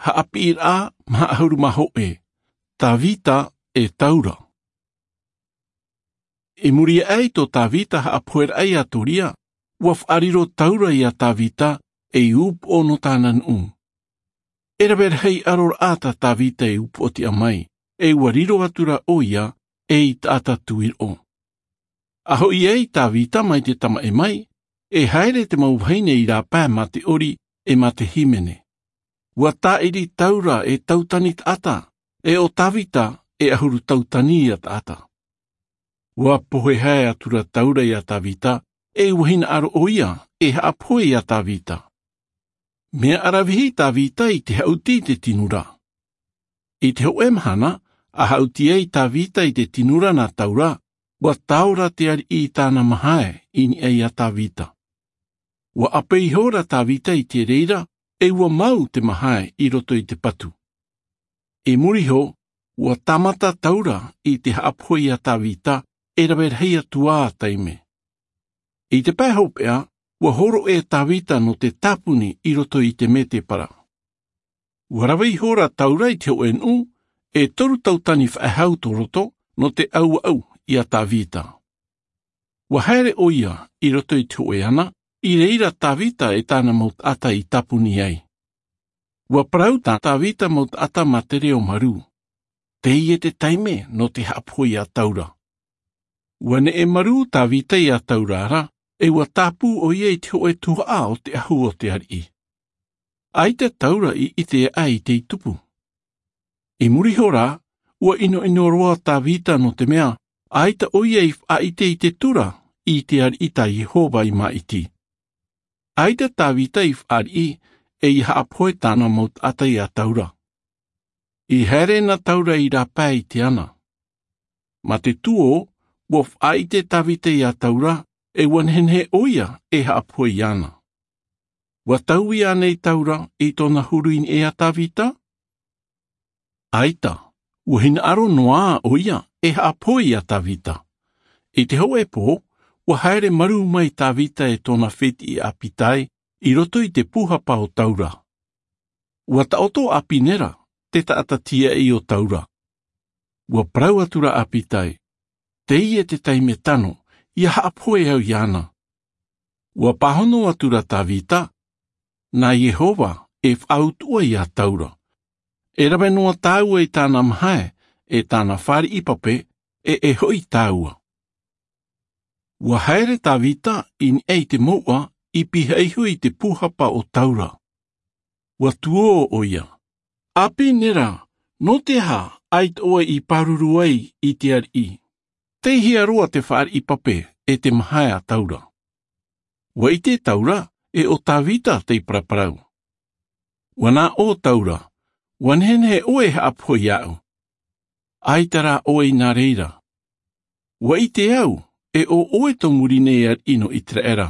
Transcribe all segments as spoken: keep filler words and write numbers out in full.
Haʻapiʻiraʻa maha ʻahuru mā hōʻē. Tāvita e taura. I muri aʻe i tō tāvita haʻapoheraʻa iā toria, ua faʻariro taura iā tāvita ei upoʻo nō tāna nuʻu. E rave rahi ʻaro raʻa tā tāvita e upoʻo tiʻa mai, e ua riro atu rā ʻo ia ei taʻata tuiroʻo. A hoʻi ai tāvita mai te tamaʻi mai, e haere te mau vahine i rāpae mā te ʻori e mā te hīmene. Ua tāʻiri taura e tautani taʻata, e ʻo tāvita e ʻahuru tautani ia taʻata. Ua pohe hae atu rā taura iā tāvita, e ua hinaʻaro ʻo ia e haʻapohe iā tāvita. Mea ʻaravihi tāvita i te haʻuti i te tinura. I te hōʻē mahana a haʻuti ai tāvita i te tinura nā taura, ua taora te ariʻi i tāna mahae i niʻa iā tāvita. Ua ʻape iho rā tāvita i te reira, e ua mau te mahae i roto i te patu. I muri iho, ua tāmata taura i te haʻapohe iā tāvita, e rave rahi atu ā taime. I te pae hopeʻa, ua hōroʻa tāvita nō te tāpuni i roto i te mētēpara. Ua rave iho rā taura i te hōʻē nuʻu, e toru tautani faʻehau tō roto nō te ʻauaʻau iā tāvita. Ua haere ʻo ia i roto i te hōʻē ana, i reira tāvita e tāna mau taʻata i tāpuni ai. Ua parau tā tāvita mau taʻata mā te reo marū. Teie te taime nō te haʻapohe iā taura. Ua neʻe marū tāvita iā taura ra, e ua tāpū ʻo ia i te hōʻē tuhaʻa o te ʻahu o te ariʻi. ʻAita taura i ʻite aʻe i tei tupu. I muri iho rā, ua ʻinoʻino roa tāvita nō te mea ʻaita ʻo ia i faʻaʻite i te tura i te ariʻi tā iehova i māʻiti. ʻAita tāvita i faʻariʻi e ia haʻapohe tāna mau taʻata iā taura. I haere nā taura i rāpae i te ana. Mā te tuō, ua faʻaʻite tāvita iā taura, e ua nehenehe ʻo ia e haʻapohe iāna. Ua taui ānei taura i tōna huru i niʻa iā tāvita? ʻAita, ua hinaʻaro noa ʻo ia e haʻapohe iā tāvita. I te hōʻē pō, ua haere marū mai tāvita e tōna fētiʻi ʻāpitae i roto i te pūhapa o taura. Ua taʻoto ʻa pinera, te taʻata tīaʻi o taura. Ua parau atu rā ʻa ʻāpitae, teie te taime tano, ia haʻapohe au iāna. Ua pāhono atu rā tāvita, nā iehova e faʻautuʻa iā taura. E rave noa tāua i tāna mahae, e tāna fāriʻi pape, e e hoʻi tāua. Ua haere tāvita i niʻa i te mouʻa i pihaʻi iho i te pūhapa o taura. Ua tuō ʻo ia, ʻa pinera, nō te aha ʻaita ʻoe i pāruru ai i te ariʻi? Tei hea roa te fāriʻi pape e te mahae a taura? Ua ʻite taura e ʻo tāvita tei paraparau. Ua nā ʻō taura, ua nehenehe ʻoe e haʻapohe iāʻu. ʻAita rā ʻoe i nā reira. Ua ʻite au e ʻo ʻoe tō muri nei ariʻi nō iteraera.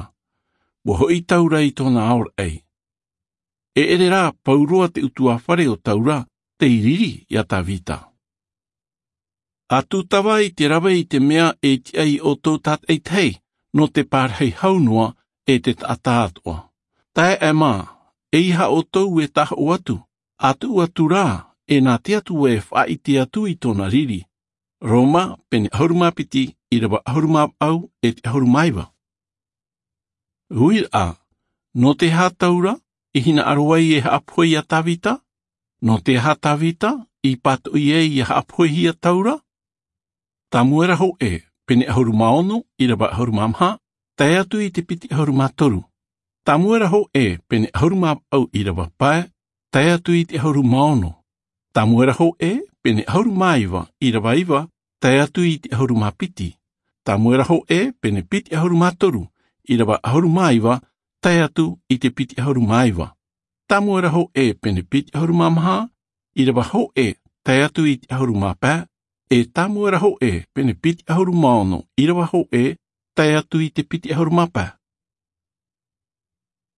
Ua hoʻi taura i tōna aoraʻi. E ʻere rā pauroa te utuāfare o taura tei riri iā tāvita. A tūtava i te rave i te mea e tiʻa iā ʻoutou tātaʻitahi nō te pārahi hau noa e te taʻata atoʻa. Taeaʻe mā, e ia ʻoutou e tahoʻo atu, a tuʻu atu rā e nā te atua e faʻaʻite atu i tōna riri. Roma pene ʻahuru mā piti, ʻirava ʻahuru mā vaʻu e te ʻahuru mā iva. Uiraʻa, nō te aha taura i hinaʻaro ai e haʻapohe iā tāvita? Nō te aha tāvita i pātoʻi ai ia haʻapohehia taura? Tamuera hōʻē pene ʻahuru mā ono, ʻirava ʻahuru mā maha, tae atu i te piti ʻahuru mā toru. Tamuera hōʻē pene ʻahuru mā vaʻu, ʻirava pae, tae atu i te ʻahuru mā ono. Tamuera hōʻē pene ʻahuru mā iva, ʻirava iva, tae atu i te ʻahuru mā piti. Tamuera hōʻē pene piti ʻahuru mā toru, ʻirava ʻahuru mā iva, tae atu i te piti ʻahuru mā iva. Tamuera hōʻē pene piti ʻahuru mā maha, ʻirava hōʻē, tae atu i te ʻahuru mā pae, e tamuera hōʻē pene piti ʻahuru mā ono, ʻirava hōʻē, tae atu i te piti ʻahuru mā pae.